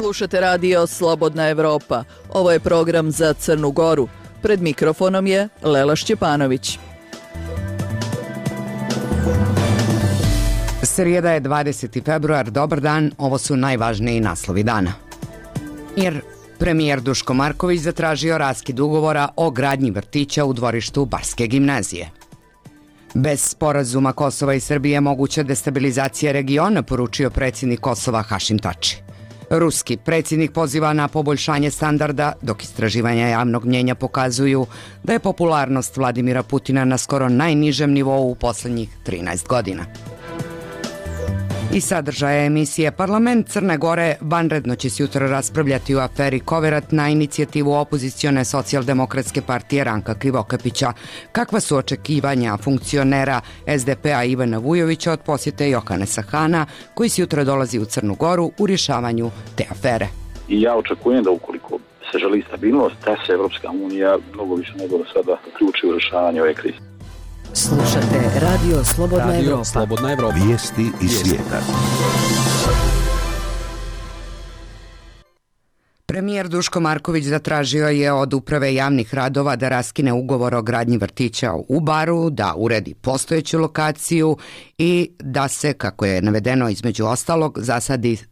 Slušate radio Slobodna Evropa. Ovo je program za Crnu Goru. Pred mikrofonom je Lela Šćepanović. Srijeda je 20. februar, dobar dan, ovo su najvažniji naslovi dana. Jer premijer Duško Marković zatražio raskid ugovora o gradnji vrtića u dvorištu Barske gimnazije. Bez sporazuma Kosova i Srbije moguća destabilizacija regiona, poručio predsjednik Kosova Hašim Tači. Ruski predsjednik poziva na poboljšanje standarda, dok istraživanja javnog mnjenja pokazuju da je popularnost Vladimira Putina na skoro najnižem nivou u posljednjih 13 godina. I sadržaja emisije Parlament Crne Gore vanredno će se jutro raspravljati u aferi Koverat na inicijativu opozicione socijaldemokratske partije Ranka Krivokapića. Kakva su očekivanja funkcionera SDP-a Ivana Vujovića od posjete Johanesa Hana, koji se jutro dolazi u Crnu Goru u rješavanju te afere? I ja očekujem da ukoliko se želi stabilnost, da se Evropska unija mnogo više nego do sada uključi u rješavanje ove krize. Slušate radio Slobodna Evropa. Slobodna Evropa. Vijesti iz svijeta. Premijer Duško Marković zatražio je od Uprave javnih radova da raskine ugovor o gradnji vrtića u Baru, da uredi postojeću lokaciju i da se, kako je navedeno između ostalog,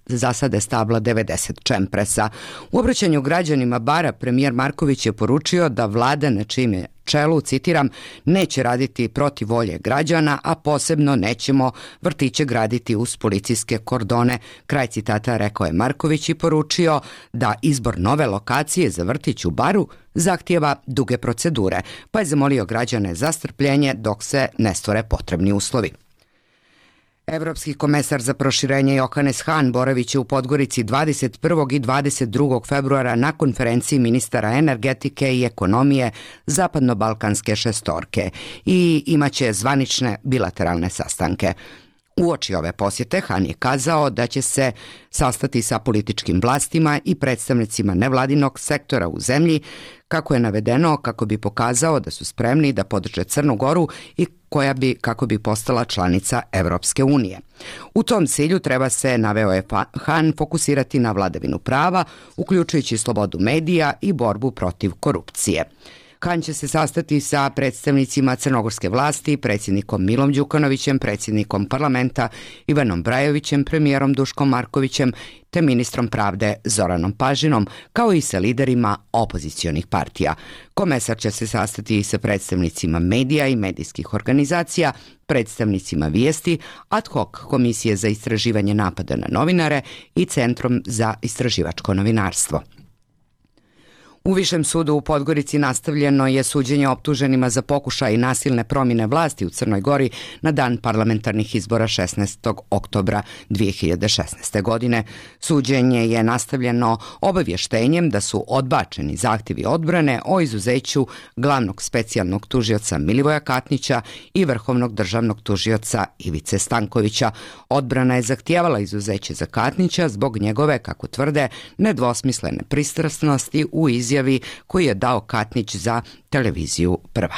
zasade stabla 90 čempresa. U obraćanju građanima Bara premijer Marković je poručio da vlada na čijem je čelu, citiram, neće raditi protiv volje građana, a posebno nećemo vrtiće graditi uz policijske kordone. Kraj citata, rekao je Marković i poručio da izbor nove lokacije za vrtić u Baru zahtijeva duge procedure, pa je zamolio građane za strpljenje dok se ne stvore potrebni uslovi. Evropski komesar za proširenje Johannes Hahn boravit će u Podgorici 21. i 22. februara na konferenciji ministara energetike i ekonomije Zapadno-Balkanske šestorke i imaće zvanične bilateralne sastanke. Uoči ove posjete Hahn je kazao da će se sastati sa političkim vlastima i predstavnicima nevladinog sektora u zemlji, kako je navedeno, kako bi pokazao da su spremni da podrže Crnu Goru i koja bi, kako bi postala članica Evropske unije. U tom cilju treba se, naveo je Hahn, fokusirati na vladavinu prava, uključujući slobodu medija i borbu protiv korupcije. Hahn će se sastati sa predstavnicima crnogorske vlasti, predsjednikom Milom Đukanovićem, predsjednikom parlamenta Ivanom Brajovićem, premijerom Duškom Markovićem te ministrom pravde Zoranom Pažinom, kao i sa liderima opozicionih partija. Komesar će se sastati i sa predstavnicima medija i medijskih organizacija, predstavnicima Vijesti, ad hoc komisije za istraživanje napada na novinare i Centrom za istraživačko novinarstvo. U Višem sudu u Podgorici nastavljeno je suđenje optuženima za pokušaj nasilne promjene vlasti u Crnoj Gori na dan parlamentarnih izbora 16. oktobra 2016. godine. Suđenje je nastavljeno obavještenjem da su odbačeni zahtjevi odbrane o izuzeću glavnog specijalnog tužioca Milivoja Katnića i vrhovnog državnog tužioca Ivice Stankovića. Odbrana je zahtijevala izuzeće za Katnića zbog njegove, kako tvrde, nedvosmislene pristrasnosti u izjavi koji je dao Katnić za televiziju Prva.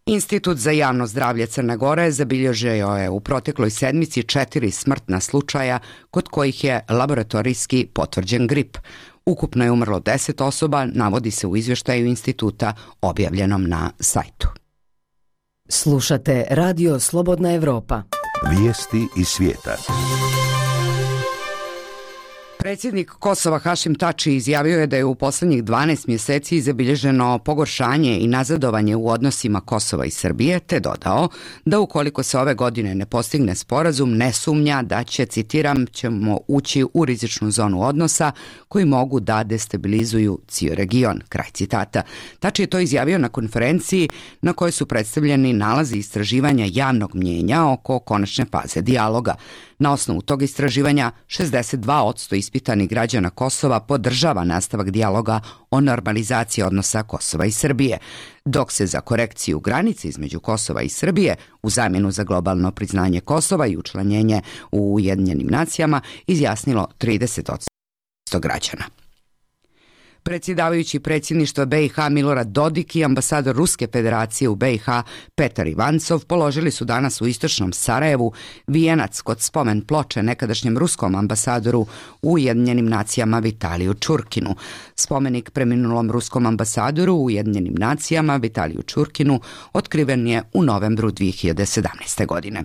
Institut za javno zdravlje Crne Gore zabilježio je u protekloj sedmici 4 smrtna slučaja kod kojih je laboratorijski potvrđen grip. Ukupno je umrlo 10 osoba, navodi se u izvještaju instituta objavljenom na sajtu. Slušate radio Slobodna Evropa. Vijesti iz svijeta. Predsjednik Kosova Hašim Tači izjavio je da je u posljednjih 12 mjeseci zabilježeno pogoršanje i nazadovanje u odnosima Kosova i Srbije, te dodao da ukoliko se ove godine ne postigne sporazum, ne sumnja da će, citiram, ćemo ući u rizičnu zonu odnosa koji mogu da destabilizuju cijeli region. Kraj citata. Tači je to izjavio na konferenciji na kojoj su predstavljeni nalazi istraživanja javnog mnjenja oko konačne faze dijaloga. Na osnovu tog istraživanja 62% ispitanih građana Kosova podržava nastavak dijaloga o normalizaciji odnosa Kosova i Srbije, dok se za korekciju granice između Kosova i Srbije u zamjenu za globalno priznanje Kosova i učlanjenje u Ujedinjenim nacijama izjasnilo 30% građana. Predsjedavajući predsjedništva BiH Milorad Dodik i ambasador Ruske federacije u BiH Petar Ivancov položili su danas u istočnom Sarajevu vijenac kod spomen ploče nekadašnjem ruskom ambasadoru u Ujedinjenim nacijama Vitaliju Čurkinu. Spomenik preminulom ruskom ambasadoru u Ujedinjenim nacijama Vitaliju Čurkinu otkriven je u novembru 2017. godine.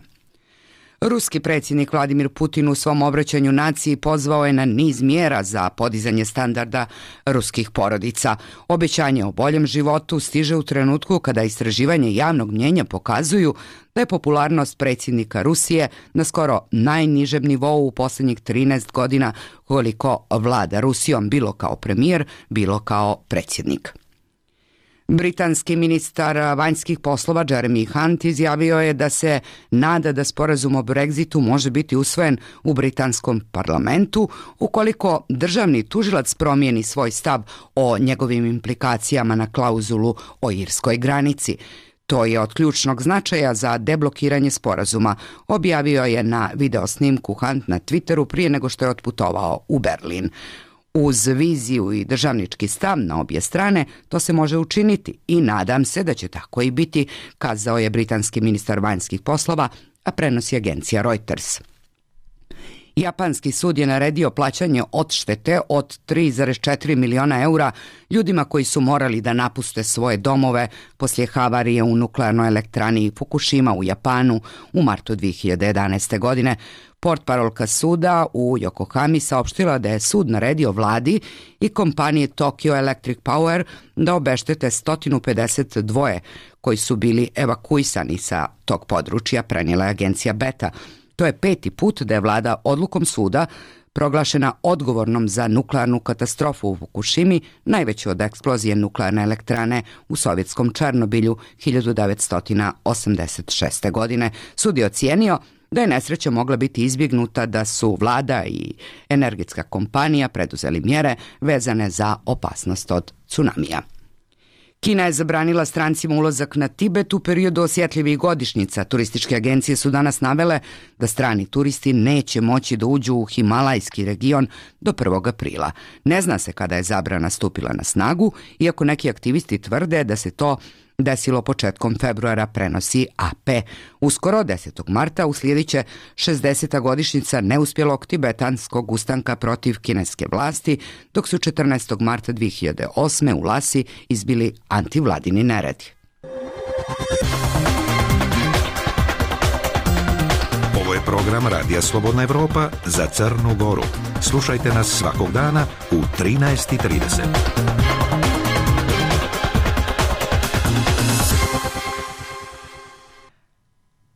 Ruski predsjednik Vladimir Putin u svom obraćanju naciji pozvao je na niz mjera za podizanje standarda ruskih porodica. Obećanje o boljem životu stiže u trenutku kada istraživanje javnog mnjenja pokazuju da je popularnost predsjednika Rusije na skoro najnižem nivou u posljednjih 13 godina koliko vlada Rusijom, bilo kao premijer, bilo kao predsjednik. Britanski ministar vanjskih poslova Jeremy Hunt izjavio je da se nada da sporazum o Brexitu može biti usvojen u britanskom parlamentu ukoliko državni tužilac promijeni svoj stav o njegovim implikacijama na klauzulu o irskoj granici. To je od ključnog značaja za deblokiranje sporazuma, objavio je na videosnimku Hunt na Twitteru prije nego što je otputovao u Berlin. Uz viziju i državnički stav na obje strane to se može učiniti i nadam se da će tako i biti, kazao je britanski ministar vanjskih poslova, a prenosi agencija Reuters. Japanski sud je naredio plaćanje odštete od 3,4 miliona eura ljudima koji su morali da napuste svoje domove poslije havarije u nuklearnoj elektrani Fukushima u Japanu u martu 2011. godine. Portparolka suda u Yokohami saopštila da je sud naredio vladi i kompanije Tokyo Electric Power da obeštete 152 koji su bili evakuisani sa tog područja, prenijela je agencija Beta. To je 5. put da je vlada odlukom suda proglašena odgovornom za nuklearnu katastrofu u Fukushimi, najveću od eksplozije nuklearne elektrane u sovjetskom Černobilju 1986. godine. Sud je ocijenio da je nesreća mogla biti izbjegnuta da su vlada i energetska kompanija preduzeli mjere vezane za opasnost od tsunamija. Kina je zabranila strancima ulazak na Tibet u periodu osjetljivih godišnjica. Turističke agencije su danas navele da strani turisti neće moći da uđu u Himalajski region do 1. aprila. Ne zna se kada je zabrana stupila na snagu, iako neki aktivisti tvrde da se to desilo početkom februara, prenosi AP. Uskoro, 10. marta, uslijedit će 60. godišnjica neuspjelog tibetanskog ustanka protiv kineske vlasti, dok su 14. marta 2008. u Lasi izbili antivladini neredi. Ovo je program Radija Slobodna Evropa za Crnu Goru. Slušajte nas svakog dana u 13:30.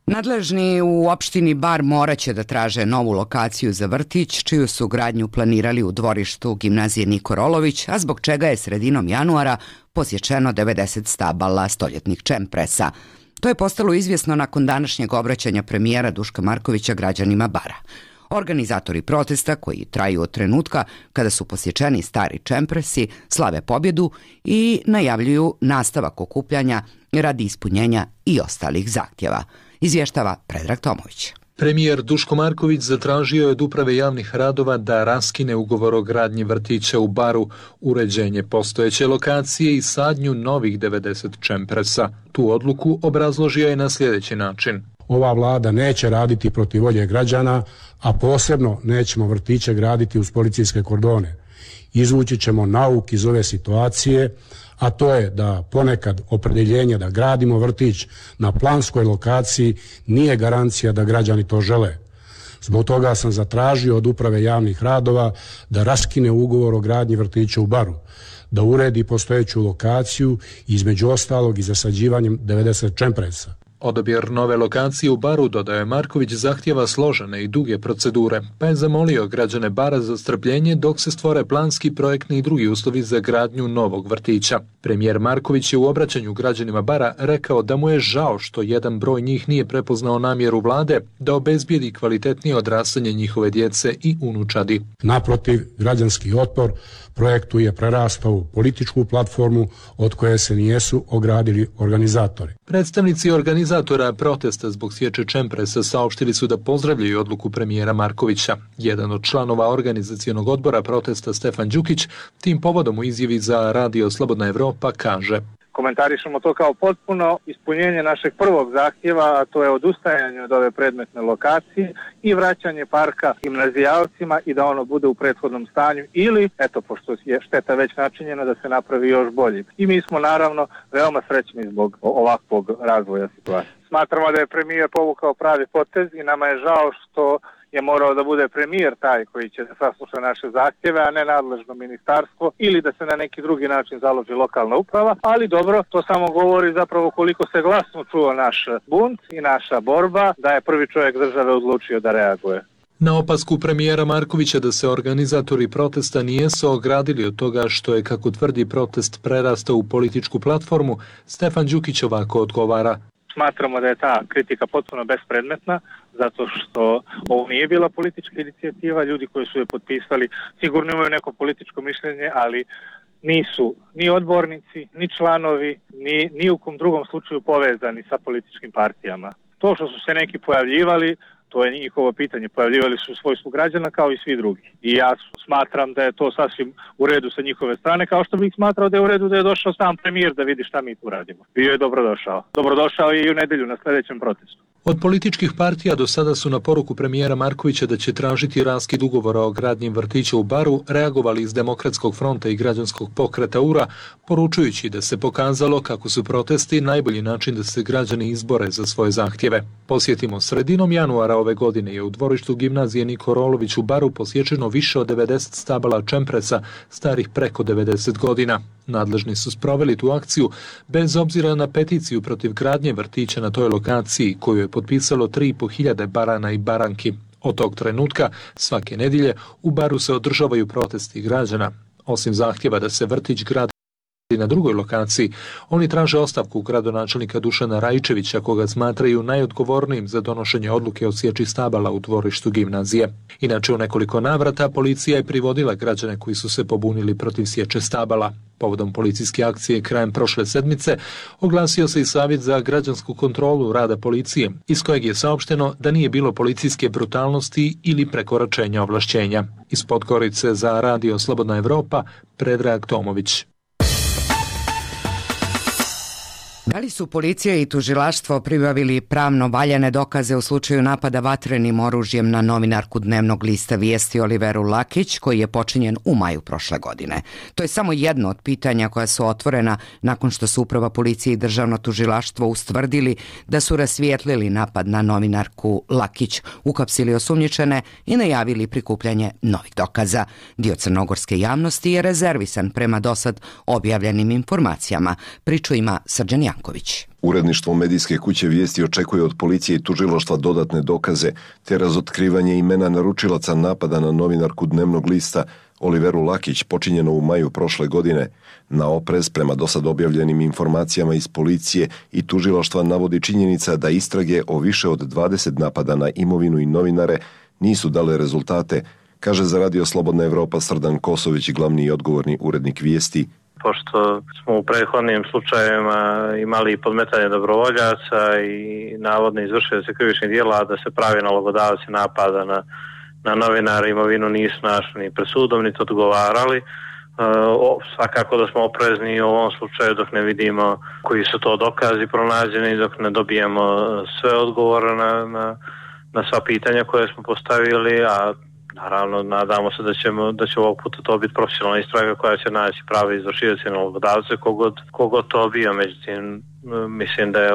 Nadležni u opštini Bar morat će da traže novu lokaciju za vrtić, čiju su gradnju planirali u dvorištu gimnazije Niko Rolović, a zbog čega je sredinom januara posječeno 90 stabala stoljetnih čempresa. To je postalo izvjesno nakon današnjeg obraćanja premijera Duška Markovića građanima Bara. Organizatori protesta, koji traju od trenutka kada su posječeni stari čempresi, slave pobjedu i najavljuju nastavak okupljanja radi ispunjenja i ostalih zahtjeva. Izvještava Predrag Tomović. Premijer Duško Marković zatražio je od uprave javnih radova da raskine ugovor o gradnji vrtića u Baru, uređenje postojeće lokacije i sadnju novih 90 čempresa. Tu odluku obrazložio je na sljedeći način. Ova vlada neće raditi protiv volje građana, a posebno nećemo vrtiće graditi uz policijske kordone. Izvući ćemo nauk iz ove situacije, a to je da ponekad opredjeljenje da gradimo vrtić na planskoj lokaciji nije garancija da građani to žele. Zbog toga sam zatražio od uprave javnih radova da raskine ugovor o gradnji vrtića u Baru, da uredi postojeću lokaciju, između ostalog i zasađivanjem 90 čempresa. Odabir nove lokacije u Baru, dodaje Marković, zahtjeva složene i duge procedure, pa je zamolio građane Bara za strpljenje dok se stvore planski, projektni i drugi uslovi za gradnju novog vrtića. Premijer Marković je u obraćanju građanima Bara rekao da mu je žao što jedan broj njih nije prepoznao namjeru vlade da obezbijedi kvalitetnije odrastanje njihove djece i unučadi. Naprotiv, građanski otpor projektu je prerastao u političku platformu od koje se nijesu ogradili organizatori. Predstavnici organizatora organizatora protesta zbog sječe čempresa saopštili su da pozdravljaju odluku premijera Markovića. Jedan od članova organizacionog odbora protesta, Stefan Đukić, tim povodom u izjavi za Radio Slobodna Evropa kaže: Komentarišemo to kao potpuno ispunjenje našeg prvog zahtjeva, a to je odustajanje od ove predmetne lokacije i vraćanje parka gimnazijalcima i da ono bude u prethodnom stanju ili, eto, pošto je šteta već načinjena, da se napravi još bolje. I mi smo naravno veoma srećni zbog ovakvog razvoja situacije. Smatramo da je premijer povukao pravi potez i nama je žao što je morao da bude premijer taj koji će da sasluša naše zahtjeve, a ne nadležno ministarstvo ili da se na neki drugi način založi lokalna uprava, ali dobro, to samo govori zapravo koliko se glasno čuo naš bunt i naša borba, da je prvi čovjek države odlučio da reaguje. Na opasku premijera Markovića da se organizatori protesta nijesu ogradili od toga što je, kako tvrdi, protest prerastao u političku platformu, Stefan Đukić ovako odgovara: Smatramo da je ta kritika potpuno bespredmetna, zato što ovo nije bila politička inicijativa, ljudi koji su je potpisali sigurno imaju neko političko mišljenje, ali nisu ni odbornici, ni članovi, ni u kom drugom slučaju povezani sa političkim partijama. To što su se neki pojavljivali, to je njihovo pitanje, pojavljivali su u svojstvu građana kao i svi drugi. I ja smatram da je to sasvim u redu sa njihove strane, kao što bih smatrao da je u redu da je došao sam premijer da vidi šta mi tu radimo. Bio je dobrodošao. Dobrodošao je i u nedjelju na sljedećem protestu. Od političkih partija do sada su na poruku premijera Markovića da će tražiti raskid ugovora o gradnji vrtića u Baru reagovali iz Demokratskog fronta i Građanskog pokreta URA, poručujući da se pokazalo kako su protesti najbolji način da se građani izbore za svoje zahtjeve. Posjetimo, sredinom januara ove godine je u dvorištu gimnazije Niko Rolović u Baru posječeno više od 90 stabala čempresa starih preko 90 godina. Nadležni su sproveli tu akciju bez obzira na peticiju protiv gradnje vrtića na toj lokaciji koju je potpisalo 3.500 barana i baranki. Od tog trenutka svake nedjelje u Baru se održavaju protesti građana. Osim zahtjeva da se vrtić gradi na drugoj lokaciji, oni traže ostavku gradonačelnika Dušana Rajčevića, koga smatraju najodgovornijim za donošenje odluke o sječi stabala u dvorištu gimnazije. Inače, u nekoliko navrata policija je privodila građane koji su se pobunili protiv sječe stabala. Povodom policijske akcije krajem prošle sedmice oglasio se i Savjet za građansku kontrolu rada policije, iz kojeg je saopšteno da nije bilo policijske brutalnosti ili prekoračenja ovlašćenja. Iz Podgorice za Radio Slobodna Evropa, Predrag Tomović. Da li su policija i tužilaštvo pribavili pravno valjane dokaze u slučaju napada vatrenim oružjem na novinarku dnevnog lista Vijesti Oliveru Lakić, koji je počinjen u maju prošle godine? To je samo jedno od pitanja koja su otvorena nakon što su Uprava policije i Državno tužilaštvo ustvrdili da su rasvijetlili napad na novinarku Lakić, uhapsili osumnjičene i najavili prikupljanje novih dokaza. Dio crnogorske javnosti je rezervisan prema dosad objavljenim informacijama. Priču ima Srđan Janković. Uredništvo medijske kuće Vijesti očekuje od policije i tužilaštva dodatne dokaze te razotkrivanje imena naručilaca napada na novinarku dnevnog lista Oliveru Lakić, počinjeno u maju prošle godine. Na oprez prema dosad objavljenim informacijama iz policije i tužilaštva navodi činjenica da istrage o više od 20 napada na imovinu i novinare nisu dale rezultate, kaže za Radio Slobodna Evropa Srdan Kosović, glavni i odgovorni urednik Vijesti. Pošto smo u prethodnim slučajevima imali podmetanje dobrovoljaca i navodno izvršioce krivičnih djela, da se pravi nalogodavci napada na novinara, imovinu nisu našli ni pred sudom, niti odgovarali. Svakako da smo oprezni u ovom slučaju dok ne vidimo koji su to dokazi pronađeni, dok ne dobijemo sve odgovore na sva pitanja koje smo postavili, a naravno, nadamo se da će ovog puta to biti profesionalna istraga koja će naći prave izvršioce i nalogodavce kogod to bio. Međutim, mislim da je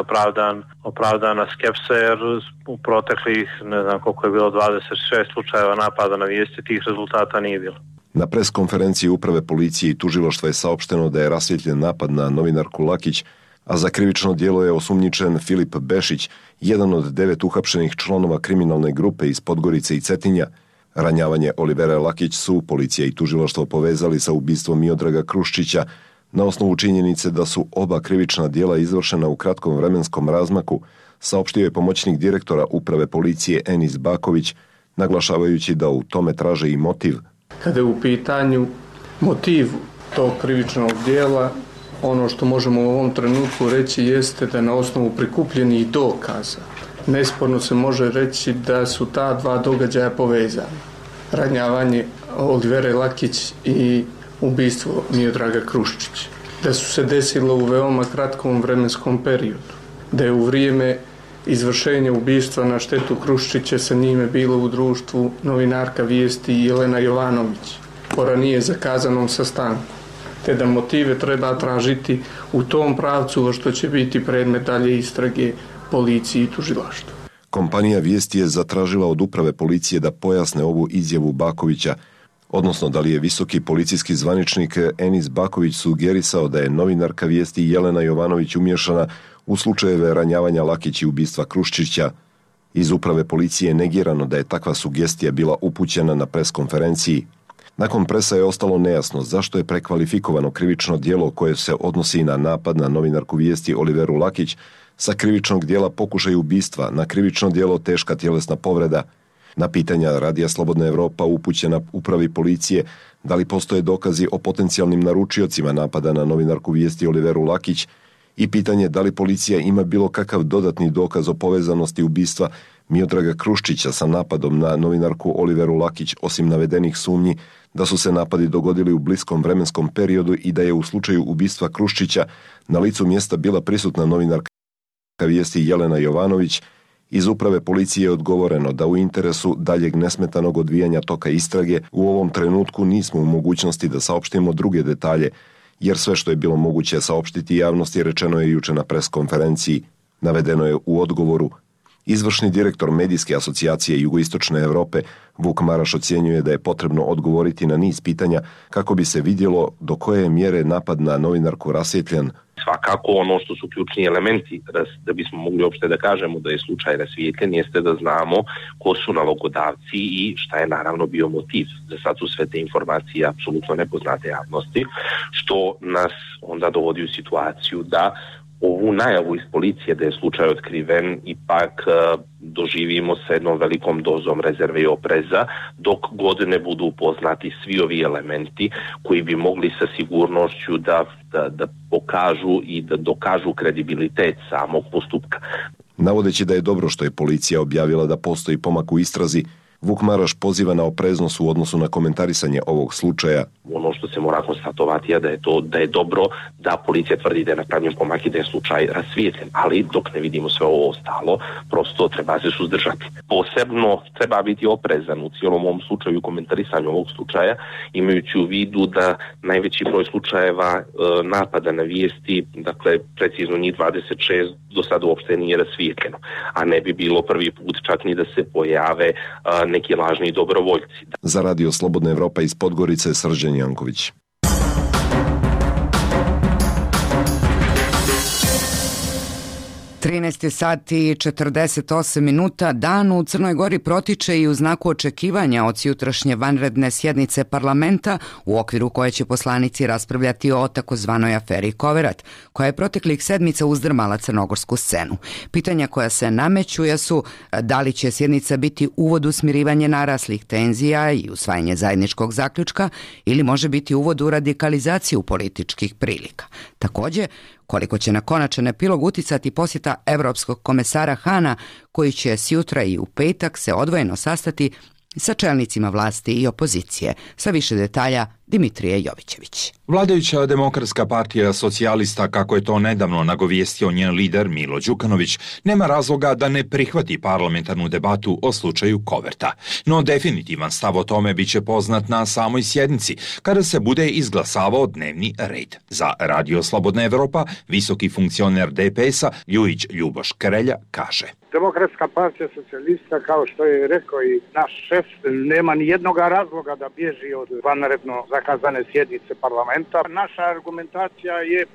opravdana skepsa jer u proteklih, ne znam koliko je bilo, 26 slučajeva napada na Vijesti, tih rezultata nije bilo. Na preskonferenciji Uprave policije i tužilaštva je saopšteno da je rasvjetljen napad na novinarku Lakić, a za krivično djelo je osumnjičen Filip Bešić, jedan od 9 uhapšenih članova kriminalne grupe iz Podgorice i Cetinja. Ranjavanje Olivere Lakić su policija i tužilaštvo povezali sa ubistvom Miodraga Kruščića na osnovu činjenice da su oba krivična djela izvršena u kratkom vremenskom razmaku, saopštio je pomoćnik direktora Uprave policije Enis Baković, naglašavajući da u tome traže i motiv. Kada je u pitanju motiv tog krivičnog djela, Ono što možemo u ovom trenutku reći jeste da na osnovu prikupljenih dokaza nesporno se može reći da su ta dva događaja povezana. Ranjavanje Olivere Lakić i ubistvo Miodraga Kruščića. Da su se desilo u veoma kratkom vremenskom periodu. Da je u vrijeme izvršenja ubistva na štetu Kruščića sa njime bilo u društvu novinarka Vijesti Jelena Jovanović po ranije zakazanom sastanku. Te da motive treba tražiti u tom pravcu što će biti predmet dalje istrage policiji i tužilaštvu. Kompanija Vijesti je zatražila od uprave policije da pojasne ovu izjavu Bakovića, odnosno da li je visoki policijski zvaničnik Enis Baković sugerisao da je novinarka Vijesti Jelena Jovanović umiješana u slučajeve ranjavanja Lakić i ubistva Kruščića. Iz uprave policije je negirano da je takva sugestija bila upućena na preskonferenciji. Nakon presa je ostalo nejasno zašto je prekvalifikovano krivično djelo koje se odnosi na napad na novinarku Vijesti Oliveru Lakić sa krivičnog djela pokušaj ubistva na krivično djelo teška tjelesna povreda. Na pitanja Radija Slobodna Evropa upućena upravi policije da li postoje dokazi o potencijalnim naručiocima napada na novinarku Vijesti Oliveru Lakić i pitanje da li policija ima bilo kakav dodatni dokaz o povezanosti ubistva Miodraga Kruščića sa napadom na novinarku Oliveru Lakić osim navedenih sumnji da su se napadi dogodili u bliskom vremenskom periodu i da je u slučaju ubistva Kruščića na licu mjesta bila prisutna novinarka Vijesti Jelena Jovanović. Iz uprave policije je odgovoreno da u interesu daljeg nesmetanog odvijanja toka istrage u ovom trenutku nismo u mogućnosti da saopštimo druge detalje, jer sve što je bilo moguće saopštiti javnosti rečeno je juče na preskonferenciji. Navedeno je u odgovoru. Izvršni direktor Medijske asocijacije Jugoistočne Europe Vuk Maraš ocjenjuje da je potrebno odgovoriti na niz pitanja kako bi se vidjelo do koje mjere napad na novinarku rasvjetljen. Svakako ono što su ključni elementi da bismo mogli uopšte da kažemo da je slučaj rasvijetljen jeste da znamo ko su nalogodavci i šta je naravno bio motiv. Za sad su sve te informacije apsolutno nepoznate javnosti, što nas onda dovodi u situaciju da ovu najavu iz policije da je slučaj otkriven ipak doživimo sa jednom velikom dozom rezerve i opreza dok god ne budu upoznati svi ovi elementi koji bi mogli sa sigurnošću da pokažu i da dokažu kredibilitet samog postupka. Navodeći da je dobro što je policija objavila da postoji pomak u istrazi, Vuk Maraš poziva na opreznost u odnosu na komentarisanje ovog slučaja. Ono što se mora konstatovati je da je dobro da policija tvrdi da je napravljen pomak i da je slučaj rasvijetljen, ali dok ne vidimo sve ovo ostalo, prosto treba se suzdržati. Posebno treba biti oprezan u cijelom ovom slučaju i komentarisanju ovog slučaja, imajući u vidu da najveći broj slučajeva napada na Vijesti, dakle precizno njih 26, do sada uopšte nije rasvijetljeno, a ne bi bilo prvi put čak ni da se pojave neki lažni dobrovoljci. Za Radio Slobodna Evropa iz Podgorice, Srđan Janković. sati 48 minuta. Dan u Crnoj Gori protiče i u znaku očekivanja od sutrašnje vanredne sjednice parlamenta u okviru koje će poslanici raspravljati o takozvanoj aferi Koverat, koja je proteklih sedmica uzdrmala crnogorsku scenu. Pitanja koja se nameću su da li će sjednica biti uvod u smirivanje naraslih tenzija i usvajanje zajedničkog zaključka ili može biti uvod u radikalizaciju političkih prilika. Također, koliko će na konačan epilog uticati posjeta Evropskog komesara Hana, koji će sutra i u petak se odvojeno sastati sa čelnicima vlasti i opozicije. Sa više detalja Dimitrije Jovićević. Vladajuća Demokratska partija socijalista, kako je to nedavno nagovijestio njen lider Milo Đukanović, nema razloga da ne prihvati parlamentarnu debatu o slučaju Koverta. No definitivan stav o tome bit će poznat na samoj sjednici, kada se bude izglasavao dnevni red. Za Radio Slobodna Evropa, visoki funkcioner DPS-a Ljujić Ljuboš Krelja kaže: Demokratska partija socijalista, kao što je rekao i naš šef, nema ni jednog razloga da bježi od vanredno zakazane sjednice parlamenta. Naša argumentacija je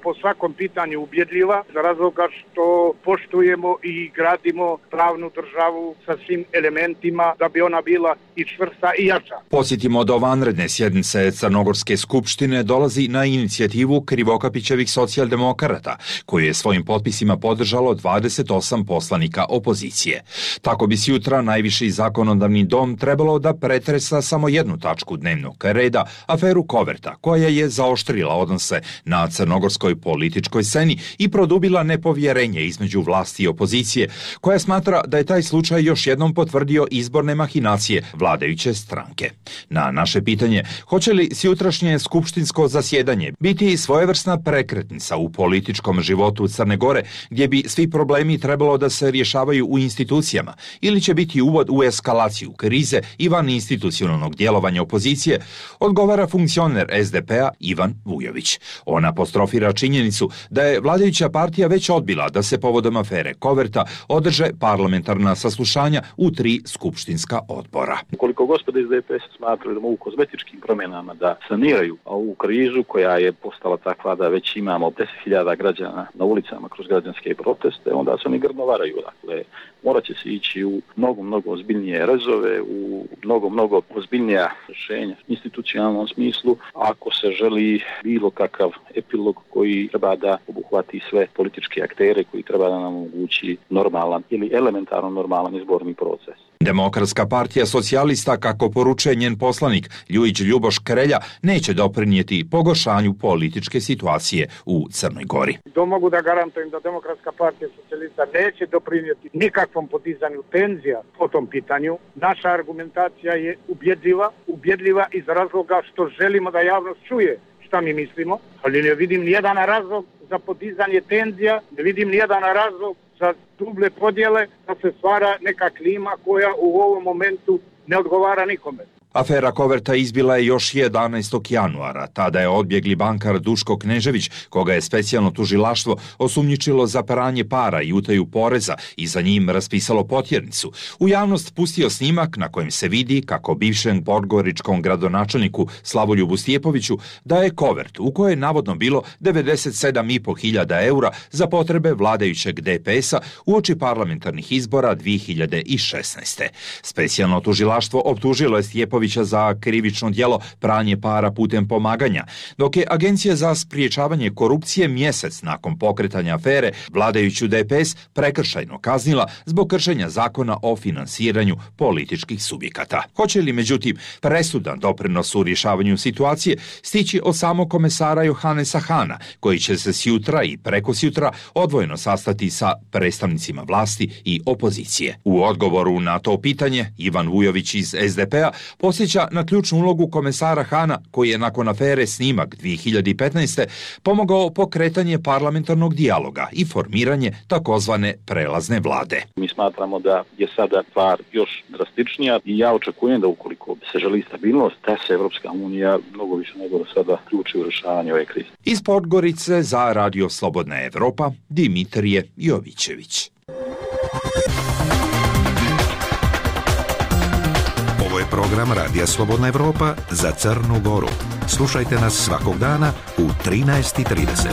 po svakom pitanju ubjedljiva, za razloga što poštujemo i gradimo pravnu državu sa svim elementima da bi ona bila i čvrsta i jača. Podsjetimo, do vanredne sjednice Crnogorske skupštine dolazi na inicijativu Krivokapićevih socijaldemokrata, koju je svojim potpisima podržalo 28 poslanika opozicije. Tako bi sutra najviši zakonodavni dom trebalo da pretresa samo jednu tačku dnevnog reda, aferu Koverta, koja je zaoštrila odnose na crnogorsku crnogorskoj političkoj sceni i produbila nepovjerenje između vlasti i opozicije, koja smatra da je taj slučaj još jednom potvrdio izborne mahinacije vladajuće stranke. Na naše pitanje, hoće li sutrašnje skupštinsko zasjedanje biti svojevrsna prekretnica u političkom životu Crne Gore, gdje bi svi problemi trebalo da se rješavaju u institucijama, ili će biti uvod u eskalaciju krize i van institucionalnog djelovanja opozicije, odgovara funkcioner SDP-a Ivan Vujović. On apostrofira činjenicu da je vladajuća partija već odbila da se povodom afere Koverta održe parlamentarna saslušanja u 3 skupštinska odbora. Koliko gospoda iz DPS smatraju da mogu kozmetičkim promjenama da saniraju ovu krizu koja je postala takva da već imamo 10.000 građana na ulicama kroz građanske proteste, onda se oni grdno varaju. Dakle, morat će se ići u mnogo ozbiljnije rezove, u mnogo ozbiljnija rješenja u institucionalnom smislu, ako se želi bilo kakav epilog koji treba da obuhvati sve političke aktere, koji treba da nam omogući normalan ili elementarno normalan izborni proces. Demokratska partija socijalista, kako poručuje njen poslanik Ljujić Ljuboš Krelja, neće doprinijeti pogoršanju političke situacije u Crnoj Gori. To mogu da garantujem da Demokratska partija socijalista neće doprinijeti nikakvom podizanju tenzija po tom pitanju. Naša argumentacija je ubjedljiva iz razloga što želimo da javnost čuje šta mi mislimo, ali ne vidim nijedan razlog za podizanje tenzija, ne vidim nijedan razlog za duble podjele, da se stvara neka klima koja u ovom momentu ne odgovara nikome. Afera Koverta izbila je još 11. januara. Tada je odbjegli bankar Duško Knežević, koga je specijalno tužilaštvo osumnjičilo za pranje para i utaju poreza i za njim raspisalo potjernicu. U javnost pustio snimak na kojem se vidi kako bivšem podgoričkom gradonačelniku Slavoljubu Stjepoviću daje kovert u kojoj je navodno bilo 97.500 eura za potrebe vladajućeg DPS-a uoči parlamentarnih izbora 2016. Specijalno tužilaštvo optužilo je Stjepovića za krivično djelo pranje para putem pomaganja, dok je Agencija za spriječavanje korupcije mjesec nakon pokretanja afere vladajuću DPS prekršajno kaznila zbog kršenja zakona o finansiranju političkih subjekata. Hoće li, međutim, presudan doprinos u rješavanju situacije stići od samog komesara Johanesa Hana, koji će se sjutra i prekosjutra odvojeno sastati sa predstavnicima vlasti i opozicije? U odgovoru na to pitanje Ivan Vujović iz SDP-a posjeća na ključnu ulogu komesara Hana, koji je nakon afere Snimak 2015. pomogao pokretanje parlamentarnog dijaloga i formiranje takozvane prelazne vlade. Mi smatramo da je sada stvar još drastičnija i ja očekujem da ukoliko se želi stabilnost, da se Evropska unija mnogo više nego do sada ključi u rješavanje ove krize. Iz Podgorice za Radio Slobodna Evropa, Dimitrije Jovićević. Ovo je program Radija Slobodna Evropa za Crnu Goru. Slušajte nas svakog dana u 13:30.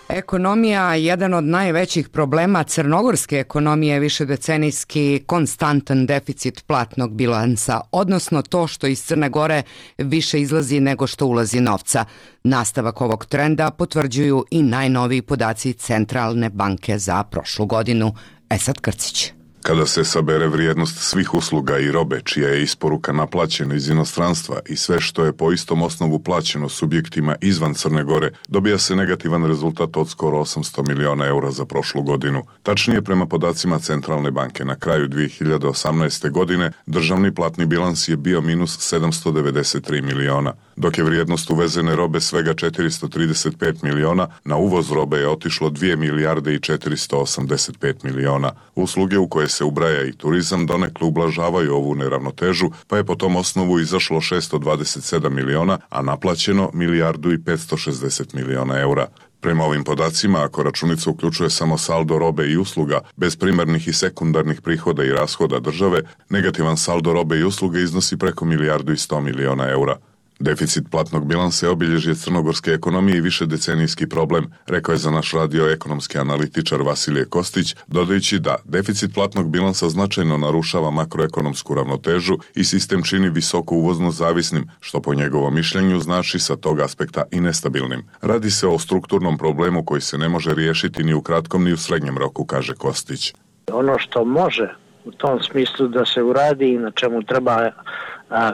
Ekonomija, jedan od najvećih problema crnogorske ekonomije je višedecenijski konstantan deficit platnog bilansa, odnosno to što iz Crne Gore više izlazi nego što ulazi novca. Nastavak ovog trenda potvrđuju i najnoviji podaci Centralne banke za prošlu godinu. Esad Krcić. Kada se sabere vrijednost svih usluga i robe čija je isporuka naplaćena iz inostranstva i sve što je po istom osnovu plaćeno subjektima izvan Crne Gore, dobija se negativan rezultat od skoro 800 miliona eura za prošlu godinu. Tačnije, prema podacima Centralne banke, na kraju 2018. godine državni platni bilans je bio minus 793 miliona, dok je vrijednost uvezene robe svega 435 miliona, na uvoz robe je otišlo 2 milijarde i 485 miliona. Usluge u koje se ubraja i turizam donekle ublažavaju ovu neravnotežu, pa je po tom osnovu izašlo 627 miliona, a naplaćeno milijardu i 560 miliona eura. Prema ovim podacima, ako računica uključuje samo saldo robe i usluga, bez primarnih i sekundarnih prihoda i rashoda države, negativan saldo robe i usluge iznosi preko milijardu i 100 miliona eura. Deficit platnog bilansa je obilježje crnogorske ekonomije i višedecenijski problem, rekao je za naš radio ekonomski analitičar Vasilije Kostić, dodajući da deficit platnog bilansa značajno narušava makroekonomsku ravnotežu i sistem čini visoko uvozno zavisnim, što po njegovom mišljenju znači sa tog aspekta i nestabilnim. Radi se o strukturnom problemu koji se ne može riješiti ni u kratkom ni u srednjem roku, kaže Kostić. Ono što može u tom smislu da se uradi i na čemu treba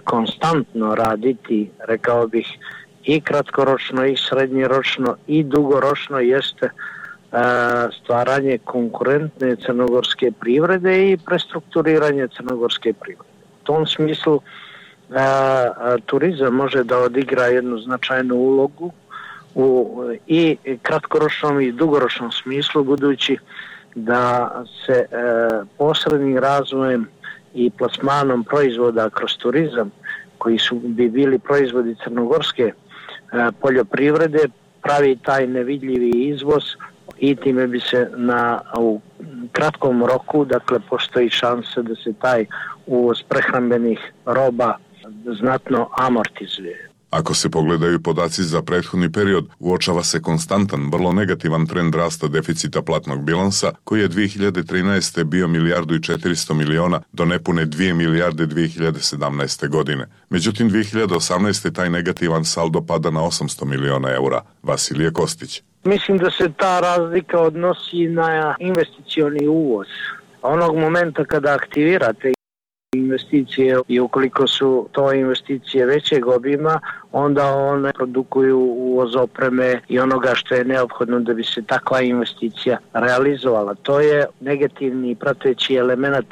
konstantno raditi, rekao bih, i kratkoročno i srednjoročno i dugoročno, jeste stvaranje konkurentne crnogorske privrede i prestrukturiranje crnogorske privrede. U tom smislu turizam može da odigra jednu značajnu ulogu u i kratkoročnom i dugoročnom smislu, budući da se posrednim razvojem i plasmanom proizvoda kroz turizam, koji bi bili proizvodi crnogorske poljoprivrede, pravi taj nevidljivi izvoz i time bi se u kratkom roku, dakle, postoji šansa da se taj uvoz prehrambenih roba znatno amortizuje. Ako se pogledaju podaci za prethodni period, uočava se konstantan, vrlo negativan trend rasta deficita platnog bilansa, koji je 2013. bio 1,4 milijarde do nepune 2 milijarde 2017. godine. Međutim, 2018. taj negativan saldo pada na 800 miliona eura. Vasilije Kostić. Mislim da se ta razlika odnosi na investicioni uvoz. Onog momenta kada aktivirate investicije i ukoliko su to investicije većeg obima, onda one produkuju uvoz opreme i onoga što je neophodno da bi se takva investicija realizovala. To je negativni prateći element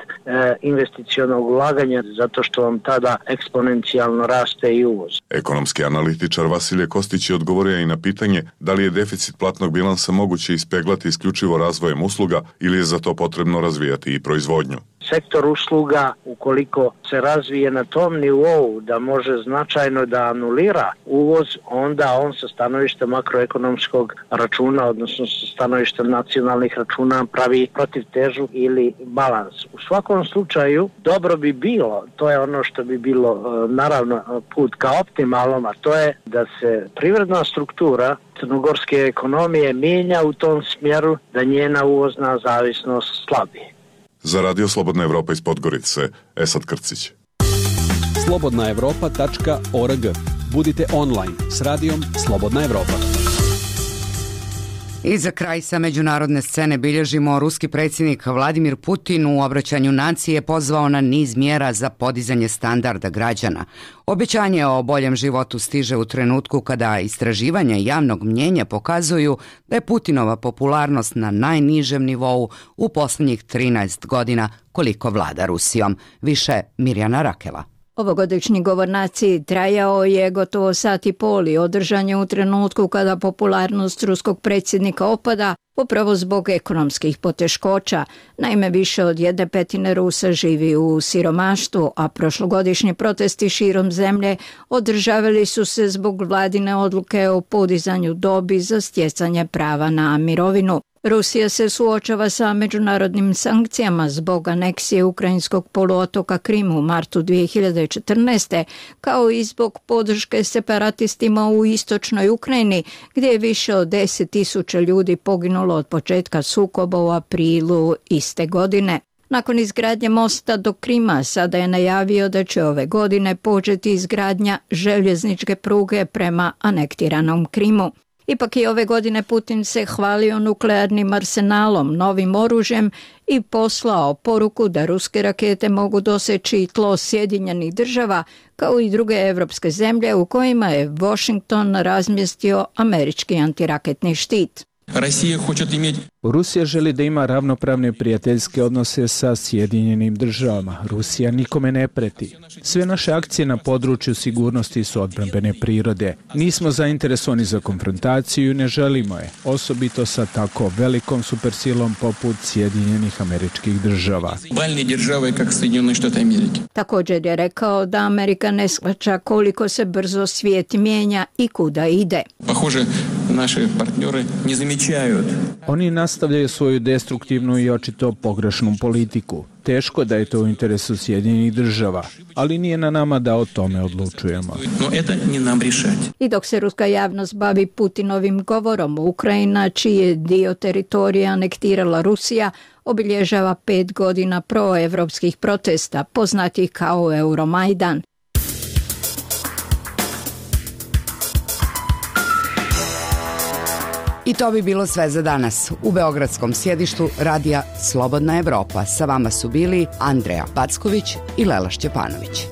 investicionog ulaganja, zato što vam tada eksponencijalno raste i uvoz. Ekonomski analitičar Vasilije Kostić je odgovorio i na pitanje da li je deficit platnog bilansa moguće ispeglati isključivo razvojem usluga ili je za to potrebno razvijati i proizvodnju. Sektor usluga, ukoliko se razvije na tom nivou da može značajno da anulira uvoz, onda on sa stanovišta makroekonomskog računa, odnosno sa stanovišta nacionalnih računa, pravi protivtežu ili balans. U svakom slučaju dobro bi bilo, to je ono što bi bilo naravno put ka optimalnom, a to je da se privredna struktura crnogorske ekonomije mijenja u tom smjeru da njena uvozna zavisnost slabi. Za Radio Slobodna Evropa iz Podgorice, Esad Krcić. slobodnaevropa.org. Budite online s radijom Slobodna Evropa. I za kraj sa međunarodne scene bilježimo ruski predsjednik Vladimir Putin u obraćanju naciji je pozvao na niz mjera za podizanje standarda građana. Obećanje o boljem životu stiže u trenutku kada istraživanja javnog mnjenja pokazuju da je Putinova popularnost na najnižem nivou u posljednjih 13 godina koliko vlada Rusijom. Više Mirjana Rakela. Ovogodišnji govor naciji trajao je gotovo sat i pol i održan je u trenutku kada popularnost ruskog predsjednika opada, upravo zbog ekonomskih poteškoća. Naime, više od 1/5 Rusa živi u siromaštvu, a prošlogodišnji protesti širom zemlje održavali su se zbog vladine odluke o podizanju dobi za stjecanje prava na mirovinu. Rusija se suočava sa međunarodnim sankcijama zbog aneksije ukrajinskog poluotoka Krim u martu 2014. kao i zbog podrške separatistima u istočnoj Ukrajini, gdje je više od 10.000 ljudi poginulo od početka sukoba u aprilu iste godine. Nakon izgradnje mosta do Krima sada je najavio da će ove godine početi izgradnja željezničke pruge prema anektiranom Krimu. Ipak i ove godine Putin se hvalio nuklearnim arsenalom, novim oružjem i poslao poruku da ruske rakete mogu doseći tlo Sjedinjenih država kao i druge evropske zemlje u kojima je Washington razmjestio američki antiraketni štit. Rusija želi da ima ravnopravne prijateljske odnose sa Sjedinjenim državama. Rusija nikome ne preti. Sve naše akcije na području sigurnosti su odbrambene prirode. Nismo zainteresovani za konfrontaciju i ne želimo je, osobito sa tako velikom supersilom poput Sjedinjenih Američkih Država. Također je rekao da Amerika ne shvaća koliko se brzo svijet mijenja i kuda ide. Naši partneri ne zamjećaju. Oni nastavljaju svoju destruktivnu i očito pogrešnu politiku. Teško da je to u interesu Sjedinjenih država, ali nije na nama da o tome odlučujemo. I dok se ruska javnost bavi Putinovim govorom, Ukrajina, čiji je dio teritorija anektirala Rusija, obilježava 5 godina proevropskih protesta, poznatih kao Euromajdan. I to bi bilo sve za danas. U beogradskom sjedištu radija Slobodna Evropa sa vama su bili Andreja Packović i Lela Šćepanović.